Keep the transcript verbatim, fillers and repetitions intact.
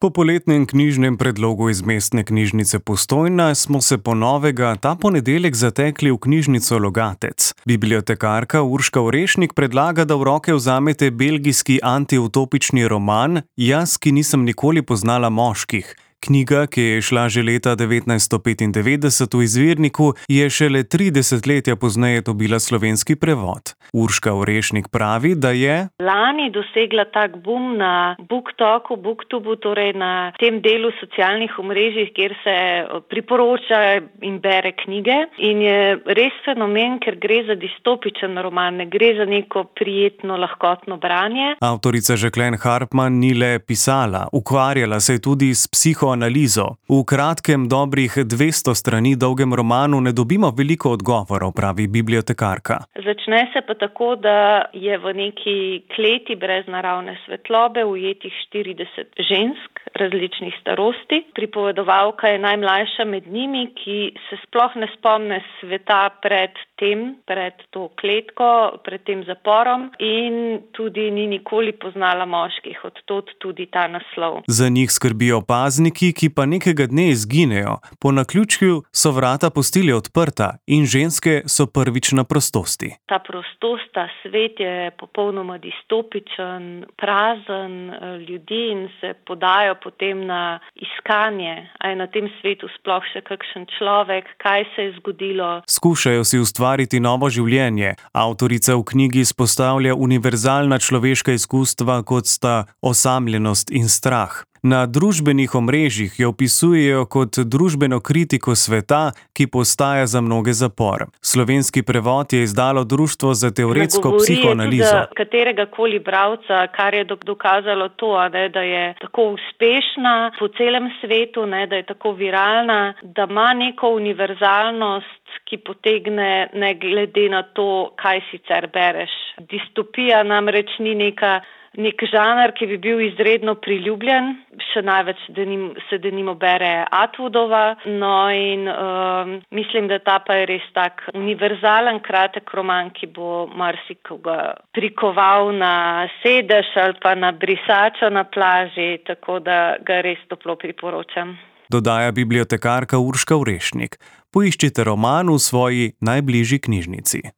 Po poletnem knjižnem predlogu iz Mestne knjižnice Postojna smo se po novega ta ponedeljek zatekli v knjižnico Logatec. Bibliotekarka Urška Orešnik predlaga, da v roke vzamete belgijski antiutopični roman Jaz, ki nisem nikoli poznala moških. Knjiga, ki je izšla že leta devetnajststo petindevetdeset v izvirniku, je šele tri desetletja pozneje dobila slovenski prevod. Urška Orešnik pravi, da je lani dosegla tak boom na BookToku, Booktubu, torej na tem delu socialnih omrežij, kjer se priporoča in bere knjige. In je res fenomen, ker gre za distopičen roman, ne gre za neko prijetno, lahkotno branje. Avtorica Žeklen Harpman ni le pisala, ukvarjala se je tudi s psiho analizo. V kratkem, dobrih dvesto strani dolgem romanu ne dobimo veliko odgovorov, pravi bibliotekarka. Začne se pa tako, da je v neki kleti brez naravne svetlobe ujetih štirideset žensk različnih starosti. Pripovedovalka je najmlajša med njimi, ki se sploh ne spomne sveta pred tem, pred to kletko, pred tem zaporom in tudi ni nikoli poznala moških, od tod tudi ta naslov. Za njih skrbijo pazniki, ki pa nekega dne izginejo. Po naključju so vrata pustili odprta in ženske so prvič na prostosti. Ta prostost, ta svet je popolnoma distopičen, prazen, ljudi in se podajo potem na iskanje, a je na tem svetu sploh še kakšen človek, kaj se je zgodilo. Skušajo si ustvariti novo življenje. Avtorica v knjigi izpostavlja univerzalna človeška izkustva, kot sta osamljenost in strah. Na družbenih omrežjih jo opisujejo kot družbeno kritiko sveta, ki postaja za mnoge zapor. Slovenski prevod je izdalo Društvo za teoretsko psihoanalizo. Za katerega koli bralca, kar je dokazalo to, ne, da je tako uspešna po celem svetu, ne, da je tako viralna, da ima neko univerzalnost, ki potegne ne glede na to, kaj sicer bereš. Distopija namreč ni neka nek žanr, ki bi bil izredno priljubljen, še največ denim, se denimo bere Atwoodova, no in um, mislim, da ta pa je res tak univerzalen kratek roman, ki bo marsikoga prikoval na sedež ali pa na brisačo na plaži, tako da ga res toplo priporočam. Dodaja bibliotekarka Urška Orešnik. Poiščite roman v svoji najbližji knjižnici.